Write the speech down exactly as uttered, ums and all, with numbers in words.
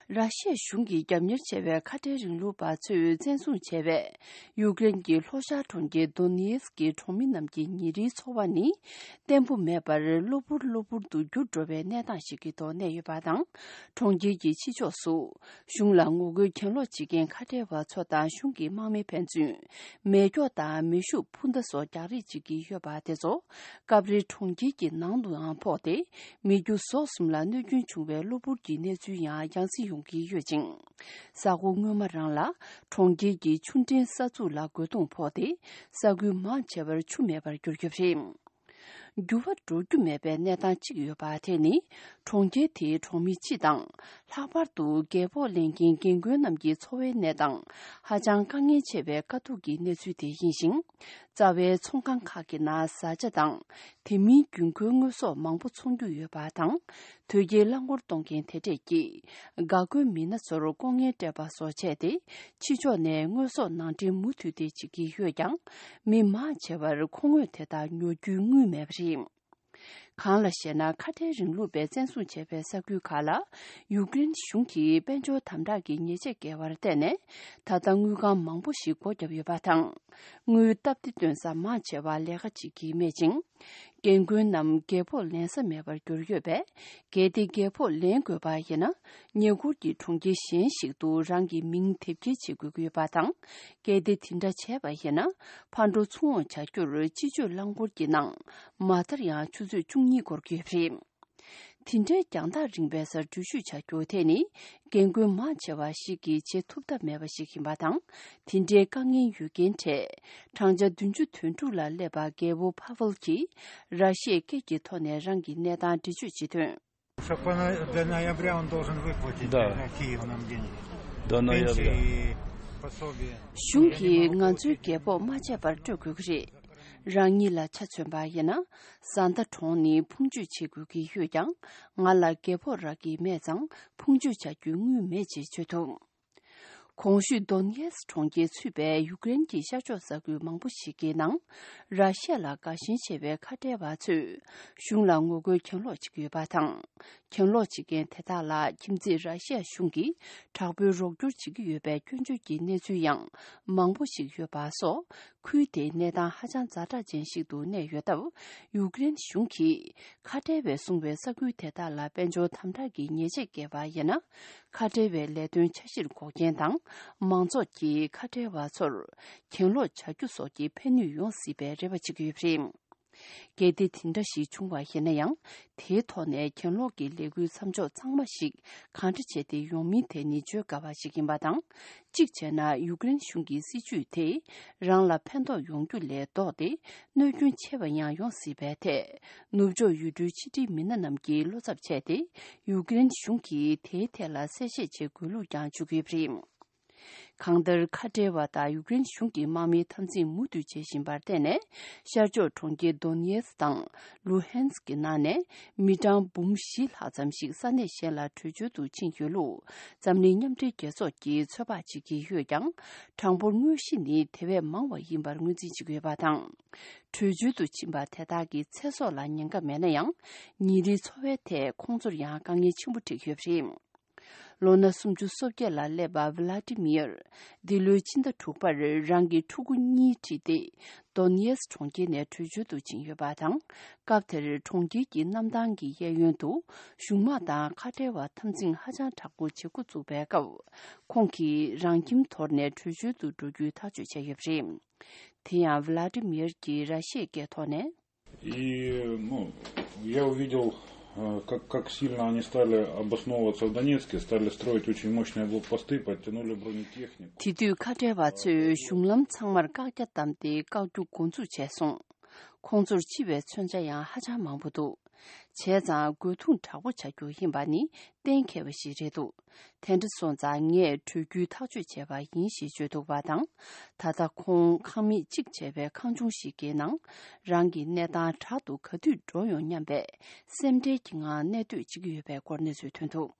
ར་ཤི་ཡ་གཞུང་གིས་རྒྱབ་གཉེར་བྱས་པའི་ཁ་བྲལ་རིང་ལུགས་པ་ཚོས་བཙན་བཟུང་བྱས་པའི་ཡུཀ་རེན་གྱི་ལྷོ་ཤར་གྲོང་ཁྱེར་དོ་ནེ་སི་ཀི་གྲོང་མི་རྣམས་ཀྱི་ཉིན་རེའི་འཚོ་བ་ནི་བརྟན་པོ་མེད་པར་གློ་བུར་གློ་བུར་དུ་འགྱུར་འགྲོ་བའི་གནས་སྟངས་ཤིག་གི་ཐོག་གནས་ཡོད་པ་དང་། གྲོང་ཁྱེར་གྱི་ཕྱི་ཕྱོགས་སུ་གཞུང་ལ་ངོ་རྒོལ་གྱེན་ལོག་བྱེད་མཁན་ཁ་བྲལ་བ་ཚོ་དང་གཞུང་གི་དམག་མི་ཕན་ཚུན་མེ་སྒྱོགས་དང་མེ་ཤུགས་འཕུར་མདའ་སོགས་རྒྱག་རེས་བྱེད་ཀྱི་ཡོད་པ་དེ་ཚོ་སྐབས་རེ་གྲོང་ཁྱེར་གྱི་ནང་དུའང་ཕོག་སྟེ། མི་རྒྱུ་ཟོག་གསུམ་ལ་གནོད་སྐྱོན་བྱུང་བའི་གློ་བུར་གྱི་གནས་ཚུལ་ཡང་ཡང་སེ་ཡོང་གི་ཡོད་ཅིང་། གཟའ་འཁོར་སྔོན་མ་རང་ལ་གྲོང་ཁྱེར་གྱི་ཆུ་འདྲེན་ས་ཚུགས་ལ་རྒོལ་རྡུང་ཕོག་སྟེ། ས་ཁུལ་མང་ཆེ་བར་ཆུ་མེད་པར་གྱུར་ཡོད་པ་རེད། འགྱུར་བ་འགྲོ་རྒྱུ་མེད་པའི་གནས་སྟངས་གཅིག་ཡོད་པ་དེ་ནི། གྲོང་ཁྱེར་དེའི་གྲོང་མི་སྤྱི་དང་། ལྷག་པར་དུ་རྒས་ཕོགས་ལེན་མཁན་རྒན་རྒོན་རྣམས་ཀྱི་འཚོ་བའི་གནས་སྟངས་ཧ་ཅང་དཀའ་ངལ་ཆེ་བའི་དཀའ་སྡུག་གི་གནས་ཚུལ་དེ་ཡིན་ཞིང་། རྩ་བའི་ཚོང་ཁང་ཁག་གི་ནང་བཟའ་བཅའ་དང་། དེ་མིན་རྒྱུན་མཁོའི་དངོས་ཟོག་མང་པོ་འཚོང་རྒྱུ་ཡོད་པ་དང་། དོས་སྐྱེལ་རླངས་འཁོར་གཏོང་མཁན་དེ་འདྲས་ཀྱིས་འགག་སྒོའི་མི་སྣ་ཚོར་ལྐོག་རྔན་སྤྲད་པ་སོགས་བྱས་ཏེ། ཕྱི་ཕྱོགས་ནས་དངོས་ཟོག་ནང་འདྲེན་མུ་མཐུད་དེ་བྱེད་ཀྱི་ཡོད་ཀྱང་། མི་མང་ཆེ་བར་མཁོ་དངོས་དེ་དག་ཉོ་རྒྱུའི་དངུལ་མེད་པ་རེད། གང་ལ་ཞེ་ན། ཁ་བྲལ་རིང་ལུགས་པས་བཙན་བཟུང་བྱས་པའི་ས་ཁུལ་ཁག་ལ་ཡུཀ་རེན་གཞུང་གིས་དཔལ་འབྱོར་དམ་དྲག་གི་ཉེས་ཆད་བཀལ་བར་བརྟེན་ནས། ད་ལྟ་དངུལ་ཁང་མང་པོ་ཞིག་སྒོ་བརྒྱབ་ཡོད་པ་དང་། དངུལ་སྟབས་བདེ་བཏོན་ས་མང་ཆེ་བ་ལས་ཀ་བྱེད་ཀྱི་མེད་ཅིང་། རྒན་རྒོན་རྣམས་རྒས་ཕོགས་ལེན་ས་མེད་པར་གྱུར་ཡོད་པས། གལ་ཏེ་རྒས་ཕོགས་ལེན་དགོས་པ་ཡིན་ན། ཉེ་འཁོར་གྱི་གྲོང་ཁྱེར་གཞན་ཞིག་ཏུ་རང་གི་མིང་དེབ་སྐྱེལ་བྱེད་དགོས་ཀྱི་ཡོད་པ་དང་། གལ་ཏེ་དེ་འདྲ་བྱས་པ་ཡིན་ན། ཕར་འགྲོ་ཚུར་འོང་བྱ་རྒྱུར་སྤྱི་སྤྱོད་རླངས་འཁོར་གྱི་ནང་མ་མཐར་ཡང་ཆུ་ཚོད་བཅུ་གཉིས་འགོར་གྱི་ཡོད་པ་རེད། དེ་འདྲའི་རྒྱང་ཐག་རིང་བའི་སར་འགྲུལ་བཞུད་བྱ་རྒྱུ་དེ་ནི། རྒན་རྒོན་མང་ཆེ་བ་ཞིག་གིས་བྱེད་ཐུབ་ཐབས་མེད་པ་ཞིག་ཡིན་པ་དང་། དེ་འདྲའི་དཀའ་ངལ་ཡོད་མཁན་གྲས་བགྲང་བྱ་བདུན་ཅུ་དོན་དྲུག་ལ་སླེབས་པ། རྒད་པོ་ཕ་ཝལ་གྱིས་ར་ཤི་ཡའི་སྐད་ཀྱི་ཐོག་ནས་རང་གི་གནས་སྟངས་འགྲེལ་བརྗོད་བྱེད་དོན། Чтоб она до ноября он должен выплатить Да. Киев нам деньги. До ноября. Пенсии, пособия. གཞུང་གིས་ང་ཚོའི་རྒད་ཕོགས་མ་ཆད་པར་སྤྲོད་དགོས་ཀྱི་རེད། རང་ཉིད་ལ་ཆ་མཚོན་པ་ཡིན་ན། བཟའ་ཟླ་གྲོངས་ནས་ཕུང་མཆོད་བྱེད་དགོས་ཀྱི་ཡོད་ཀྱང་། ང་ལ་རྒད་ཕོགས་རག་གི་མེད་ཙང་། ཕུང་མཆོད་བྱ་རྒྱུའི་དངུལ་མེད་ཅེས་བརྗོད་འདུག་གོང་ཞུས་དོ་ནེ་སི་གྲོང་ཁྱེར་ཚུད་པའི་ཡུཀ་རེན་གྱི་ཤར་ཕྱོགས་ས་ཁུལ་མང་པོ་ཞིག་གི་ནང་། ར་ཤི་ཡ་ལ་དགའ་ཞེན་ཆེ་བའི་ཁ་བྲལ་བ་ཚོས་གཞུང་ལ་ངོ་རྒོལ་གྱེན་ལོག་བྱེད་ཀྱི་ཡོད་པ་དང་། གྱེན་ལོག་བྱེད་མཁན་དེ་དག་ལ་ཁྱིམ་མཚེས་ར་ཤི་ཡ་གཞུང་གིས་དྲག་པོའི་རོགས་སྐྱོར་བྱེད་ཀྱི་ཡོད་པའི་སྐྱོན་བརྗོད་ཀྱི་གནས་ཚུལ་ཡང་མང་པོ་ཞིག་ཡོད་པ་སོགས། ཁུལ་དེའི་གནས་སྟངས་ཧ་ཅང་ཛ་དྲག་ཅན་ཞིག་ཏུ་གནས་ཡོད་སྟབས། ཡུཀ་རེན་གཞུང་གིས་ཁ་བྲལ་བས་བཟུང་བའི་ས་ཁུལ་དེ་དག་ལ་དཔལ་འབྱོར་དམ་དྲག་གི་ཉེས་ཆད་བཀལ་བ་ཡིན་ན། ཁ་བྲལ་བའི་ལས་དོན་འཆར་གཞིར་འགོག་རྐྱེན་དང་། མང་ཚོགས་ཀྱིས་ཁ་བྲལ་བ་ཚོར་གྱེན་ལོག་བྱ་རྒྱུ་སོགས་ཀྱི་ཕན་ནུས་ཡོང་སྲིད་པའི་རེ་བ་བྱེད་ཀྱི་ཡོད་པ་རེད། གལ་ཏེ་དེ་འདྲ་ཞིག་བྱུང་བ་ཡིན་ན་ཡང་། དེའི་ཐོག་ནས་གྱེན་ལོག་གི་ལས་འགུལ་མཚམས་འཇོག་ཚང་མ་ཞིག་གང་འདྲ་བྱས་ཏེ་ཡོང་མིན་དེ་ནི་བརྗོད་དཀའ་བ་ཞིག་ཡིན་པ་དང་། གཅིག་བྱས་ན། ཡུཀ་རེན་གཞུང་གི་སྲིད་བྱུས་དེས་རང་ལ་ཕན་ཐོགས་ཡོང་རྒྱུ་ལས་ལྡོག་སྟེ། གནོད་སྐྱོན་ཆེ་བ་ཡང་ཡོང་སྲིད་པའི་ཐད། ནུབ་ཕྱོགས་ཡུལ་གྲུའི་ཕྱི་འབྲེལ་མི་སྣ་རྣམས་ཀྱིས་བློ་འཚབ་བྱས་ཏེ། ཡུཀ་རེན་གཞུང་གིས་དེའི་ཐད་ལ་གསལ་བཤད་བྱེད་དགོས་ལུགས་ཀྱང་བརྗོད་ཀྱི་ཡོད་པ་རེད། གང་ལྟར། ཁ་བྲལ་བ་དང་ཡུཀ་རེན་གཞུང་གི་དམག་མིའི་འཐབ་འཛིང་མུ་མཐུད་བྱེད་བཞིན་པར་བརྟེན་ནས། ཤར་ཕྱོགས་གྲོང་ཁྱེར་དོ་ནེ་སི་དང་ལུ་ཧན་སི་ཀྱི་ནང་ནས་མི་གྲངས་འབུམ་བཞི་ལྷག་ཙམ་ཞིག་ས་གནས་གཞན་ལ་བྲོས་བྱོལ་དུ་ཕྱིན་ཡོད་ལུགས། འཛམ་གླིང་མཉམ་འབྲེལ་རྒྱལ་ཚོགས་ཀྱིས་ཚོད་དཔག་བྱེད་ཀྱི་ཡོད་ཀྱང་། གྲངས་འབོར་དངོས་གཞི་ནི་དེ་བས་མང་བ་ཡིན་པར་ངོས་འཛིན་བྱེད་ཀྱི་ཡོད་པ་དང་། བྲོས་བྱོལ་དུ་ཕྱིན་པ་དེ་དག་གི་ཚེ་སྲོག་ལ་ཉེན་ཁ་མེད་ན་ཡང་། ཉིན་རེའི་འཚོ་བའི་ཐད་ཁོང་ཚོར་ཡང་དཀའ་ངལ་ཆེན་པོ་འཕྲད་ཀྱི་ཡོད་པ་རེད། ལོ་ན་སུམ་ཅུ་སོ་བརྒྱད་ལ་སླེབས་པ་ཝི་ལ་ཏི་མིར། འདི་ལོའི་ཕྱི་ཟླ་དྲུག་པར་རང་གི་ཕྲུ་གུ་གཉིས་ཁྲིད་དེ། དོ་ནེ་སི་གྲོང་ཁྱེར་ནས་བྲོས་བྱོལ་དུ་ཕྱིན་ཡོད་པ་དང་། སྐབས་དེར་གྲོང་ཁྱེར་གྱི་གནམ་ཐང་གི་གཡས་གཡོན་དུ། གཞུང་དམག་དང་ཁ་བྲལ་བ་འཐབ་འཛིང་ཧ་ཅང་དྲག་པོ་བྱེད་འགོ་བཙུགས་པའི་སྐབས། ཁོང་གིས་རང་ཁྱིམ་དོར་ནས་བྲོས་བྱོལ་དུ་འགྲོ་རྒྱུའི་ཐག་གཅོད་བྱས་ཡོད་པ་རེད། དེ་ཡང་ཝི་ལ་ཏི་མིར་གྱིས་ར་ཤི་ཡའི་སྐད་ཐོག་ནས། И, ну, я увидел, э, как, как сильно они стали обосновываться в Донецке, стали строить очень мощные блокпосты, подтянули бронетехнику. དེ་དུས་ཁ་བྲལ་བ་ཚོས་གཞུང་ལམ་ཚང་མར་བཀག་རྒྱ་བསྡམས་ཏེ་བཀག་རྒྱུ་འགོ་འཛུགས་བྱས་སོང་། ཁོང་ཚོར་འཆི་བའི་མཚོན་ཆ་ཡང་ཧ་ཅང་མང་པོ་འདུག་བྱས་ཙང་རྒོལ་རྡུང་དྲག་པོ་བྱ་རྒྱུ་ཡིན་པ་ནི་གཏན་འཁེལ་བ་ཞིག་རེད་འདུག་དེ་འདྲ་སོང་ཙང་ངས་བྲོས་རྒྱུའི་ཐག་གཅོད་བྱས་པ་ཡིན་ཞེས་བརྗོད་འདུག་པ་དང་། ད་ལྟ་ཁོང་ཁང་མིག་གཅིག་བྱས་པའི་ཁང་ཆུང་ཞིག་གི་ནང་རང་གི་གནས་སྟངས་དྲག་ཏུ་ག་དུས་འགྲོ་ཡོང་སྙམ་པའི་སེམས་ཁྲལ་གྱི་ངང་གནས་སྡོད་བྱེད་ཀྱི་ཡོད་པའི་སྐོར་གནས་ཚུལ་ཐོན་འདུག